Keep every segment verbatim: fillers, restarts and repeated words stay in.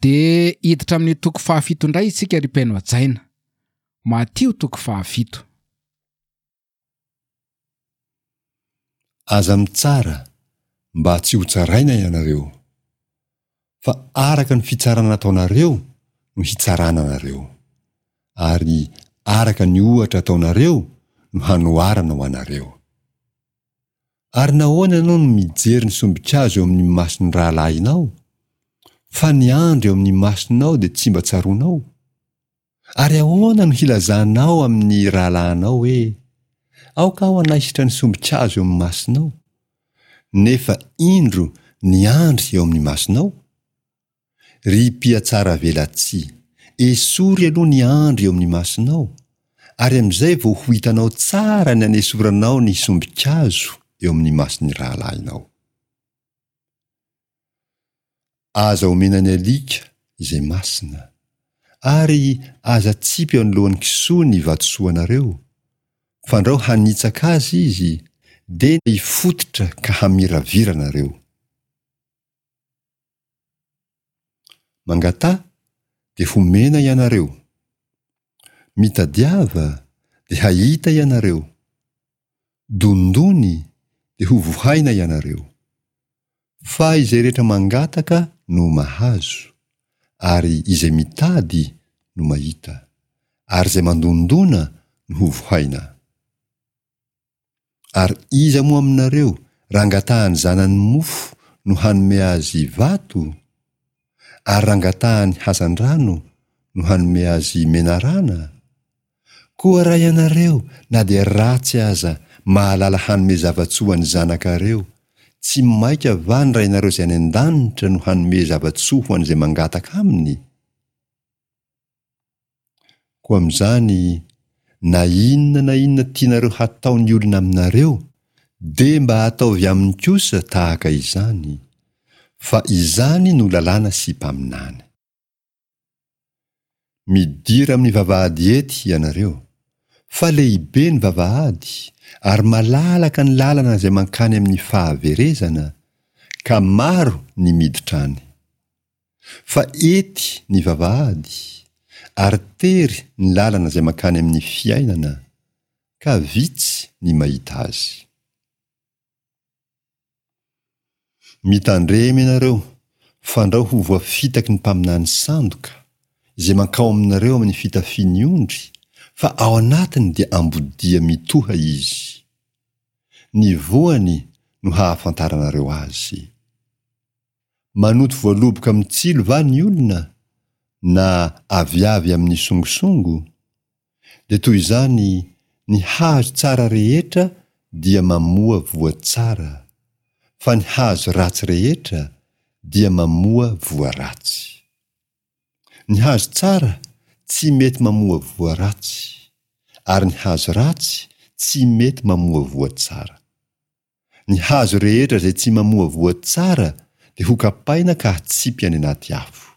Dia hiditra amin'ny toko fahafito indray isika ry mpihaino hajaina. Matio toko fahafito. Aza mitsara, mba tsy hotsaraina ianareo. Fa araka ny fitsarana ataonareo no hitsarana anareo, ary araka ny ohatra ataonareo no hanoharana ho anareo. Ary nahoana ianao no mijery ny sombin-kazo eo amin'ny mason'ny rahalahinao, fa ny andry eo amin'ny masonao dia tsy mba tsaroanao? Ary ahoana no hilazanao amin'ny rahalahinao hoe, Aoka aho hanaisotra ny sombin-kazo eo amin'ny masonao, nefa indro ny andry eo amin'ny masonao? Ry mpihatsaravelatsihy, esory aloha ny andry eo amin'ny masonao, ary amin'izay vao ho hitanao tsara ny hanesoranao ny sombin-kazo eo amin'ny mason'ny rahalahinao. Aza omena ny alika izay masina, ary aza atsipy eo anoloan'ny kisoa ny vatosoanareo, fandrao hanitsaka azy izy, dia hifototra ka hamiravira anareo. Mangataha, dia homena ianareo. Mitadiava, dia hahita ianareo. Dondony, dia hovohaina ianareo. Fa izay rehetra mangataka no mahazo, ary izay mitady no mahita, ary izay mandondona no hovohaina. Ary iza moa aminareo raha angatahan'ny zanany mofo no hanome azy vato? Ary raha angatahany hazandrano no hanome azy menarana? Koa raha ianareo na dia ratsy aza mahalala hanome zava-tsoa ho an'ny zanakareo, tsy mainka va ny Rainareo izay any an-danitra no hanome zava-tsoa ho an'izay mangataka aminy? Koa amin'izany, na inona na inona tianareo hataon'ny olona aminareo, dia mba ataovy aminy kosa tahaka izany, fa izany no lalàna sy mpaminany. Midira amin'ny vavahady ety ianareo, fa lehibe ny vavahady, ary malalaka ny lalana izay mankany amin'ny fahaverezana, ka maro ny miditra any. Fa ety ny vavahady, ary tery ny lalana izay mankany amin'ny fiainana, ka vitsy ny mahita azy. Mitandrema ianareo, fandrao ho voafitaky ny mpaminany sandoka, izay mankao aminareo amin'ny fitafian'ny ondry, fa ao anatiny dia ambodia mitoha izy. Ny voany no hahafantaranareo azy. Manoto voaloboka amin'ny tsilo va ny olona, na aviavy amin'ny songosongo? Dia toy izany, ny hazo tsara rehetra dia mamoa voa tsara, fa ny hazo ratsy rehetra dia mamoa voa ratsy. Ny hazo tsara tsy mety mamoa voa ratsy, ary ny hazo ratsy tsy mety mamoa voa tsara. Ny hazo rehetra izay tsy mamoa voa tsara dia hokapaina ka hatsipy any anaty afo.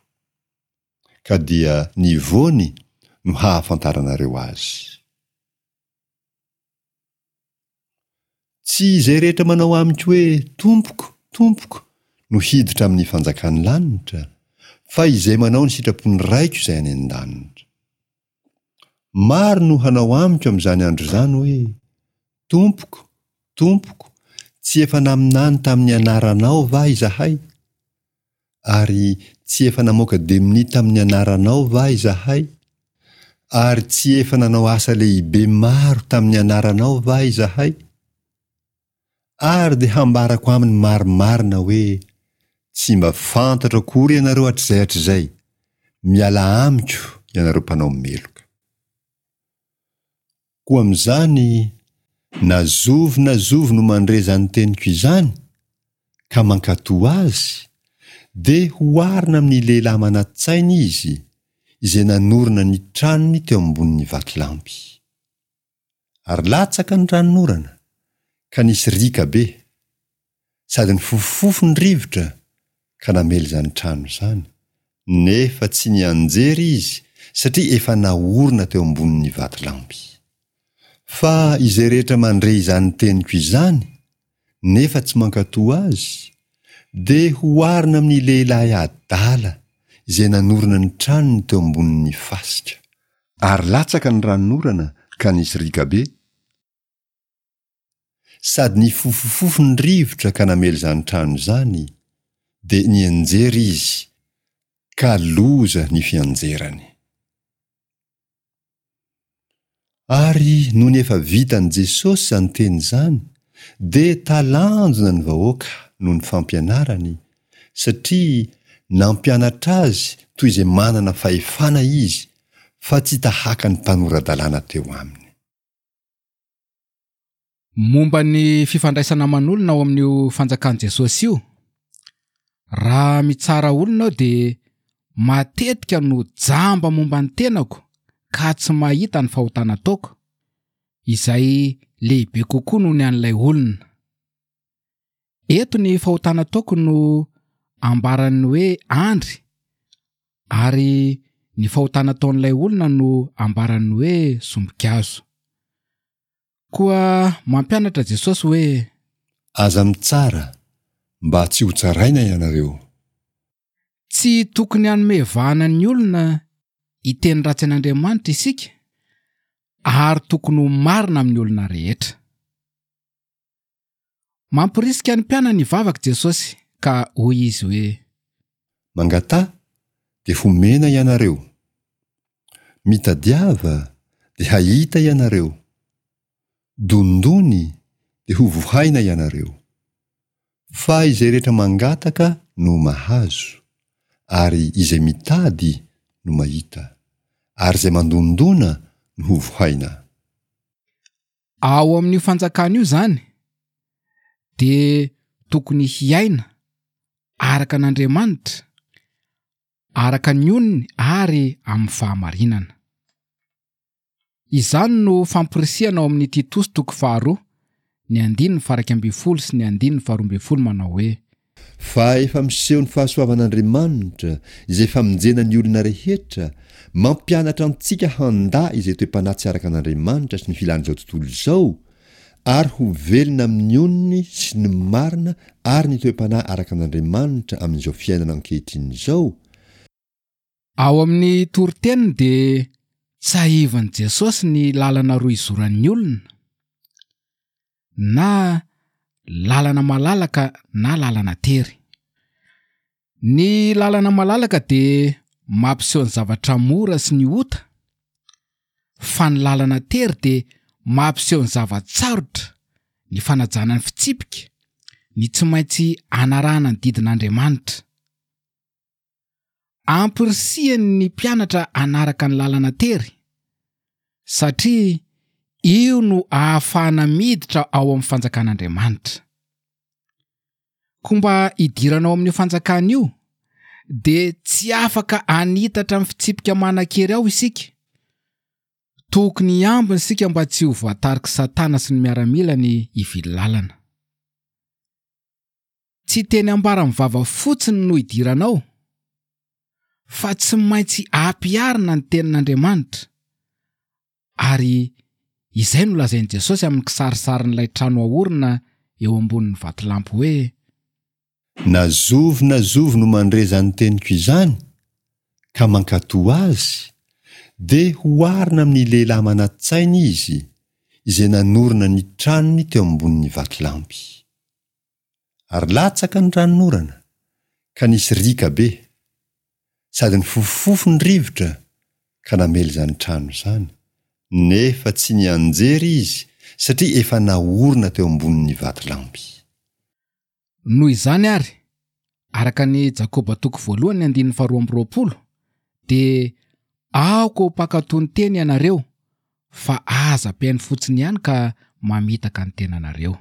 Ka dia ny voany no hahafantaranareo azy. Tsy izay rehetra manao amiko hoe, Tompoko, Tompoko, no hiditra amin'ny fanjakan'ny lanitra, fa izay manao ny sitrapon'ny Raiko izay any an-danitra. Maro no hanao amiko amin'izany andro izany hoe, Tompoko, Tompoko, tsy efa naminany tamin'ny anaranao va izahay? Ary tsy efa namoaka demonia tamin'ny anaranao va izahay? Ary tsy efa nanao asa lehibe maro tamin'ny anaranao va izahay? Ary dia hambarako aminy marimarina hoe, Tsy mba fantatro akory ianareo hatrizay hatrizay, mialà amiko ianareo mpanao meloka. Koa amin'izany, na zovy na zovy no mandre izany teniko izany, ka mankatò azy, dia hoharina amin'ny lehilahy manan-tsaina izy, izay nanorina ny tranony teo ambonin'ny vatolampy. Ary latsaka ny ranonorana, ka nisy riaka be, sady nifofofofo ny rivotra ka namely izany trano izany, nefa tsy nianjera izy satria efa naorina teo ambonin'ny vatolampy. Fa izay rehetra mandre izany teniko izany, nefa tsy mankatò azy, dia hoharina amin'ny lehilahy adala izay nanorina ny tranony teo ambonin'ny fasika. Ary latsaka ny ranonorana ka nisy riaka be, sady nifofofofo ny rivotra ka namely izany trano izany, dia nianjera izy, ka loza ny fianjerany. Ary nony efa vitan'i Jesosy izany teny izany, dia talanjona ny vahoaka noho ny fampianarany, satria nampianatra azy toy izay manana fahefana izy, fa tsy tahaka ny mpanora-dalàna teo aminy. Momba ny fifandraisana aman'olona ao amin'io fanjakan'i Jesosy io, raha mitsara olona aho dia matetika no jamba momba ny tenako ka tsy mahita ny fahotana ataoko, izay lehibe kokoa noho ny an'ilay olona. Eto ny fahotana ataoko no ambaran'ny hoe andry, ary ny fahotana ataon'ilay olona no ambaran'ny hoe sombikazo. Koa mampianatra Jesosy hoe: Aza mitsara, mba tsy ho tsaraina ianareo. Tsy tokony hanome vahana ny olona hiteny ratsy an'Andriamanitra isika, ary tokony ho marina amin'ny olona rehetra. Mampirisika ny mpianany hivavaka Jesosy ka hoy izy hoe: Mangataha, dia homena ianareo. Mitadiava, dia hahita ianareo. Dondony, dia hovohaina ianareo. Fa izay rehetra mangataka no mahazo, ary izay mitady no mahita, ary izay mandondona no hovohaina. Ao amin'io fanjakana io izany dia tokony hiaina araka an'Andriamanitra, araka ny onony ary amin'ny fahamarinana. Izany no fampirisihana ao amin'ny Titosy toko faharoa, ny andininy faha-iraika ambin'ny folo sy ny andininy faharoa ambin'ny folo manao hoe: Fa efa miseho ny fahasoavan'Andriamanitra, izay famonjena ny olona rehetra, mampianatra antsika handà izay toe-panahy tsy araka an'Andriamanitra sy ny filan'izao tontolo izao, ary ho velona amin'ny onony sy ny marina ary ny toe-panahy araka an'Andriamanitra amin'izao fiainana ankehitriny izao. Ao amin'ny toriteniny dia tsahivan'i Jesosy ny lalana roa izoran'ny olona, na lalana malalaka na lalana tery. Ny lalana malalaka dia mampiseho ny zavatra mora sy ny ota, fa ny lalana tery dia mampiseho ny zava-tsarotra, ny fanajana ny fitsipika, ny tsy maintsy anarahana ny didin'Andriamanitra. Ampirisihany ny mpianatra hanaraka ny lalana tery, satria io no ahafahana miditra ao amin'ny fanjakan'Andriamanitra. Koa mba hidirana ao amin'io fanjakana io, dia tsy afaka hanitatra amin'ny fitsipika manan-kery ao isika. Tokony hiambina isika mba tsy ho voatariky Satana sy ny miaramilany hivily lalana. Tsy teny ambara amin'ny vava fotsiny no hidiranao, fa tsy maintsy ampiharina ny tenin'Andriamanitra. Ary izay no lazain'i Jesosy amin'ny kisarisarin'ilay trano aorina eo ambonin'ny vatolampy hoe: Na zovy na zovy no mandre izany teniko izany, ka mankatò azy, dia hoharina amin'ny lehilahy manan-tsaina izy, izay nanorina ny tranony teo ambonin'ny vatolampy. Ary latsaka ny ranonorana, ka nisy riaka be, sady nifofofofo ny rivotra, ka namely izany trano izany, nefa tsy nianjera izy, satria efa naorina teo ambonin'ny vatolampy. Noho izany ary, araka ny Jakoba toko voalohany andininy faharoa amby roapolo, dia aoka ho mpankatò ny teny ianareo, fa aza mpihaino fotsiny ihany ka mamitaka ny tenanareo.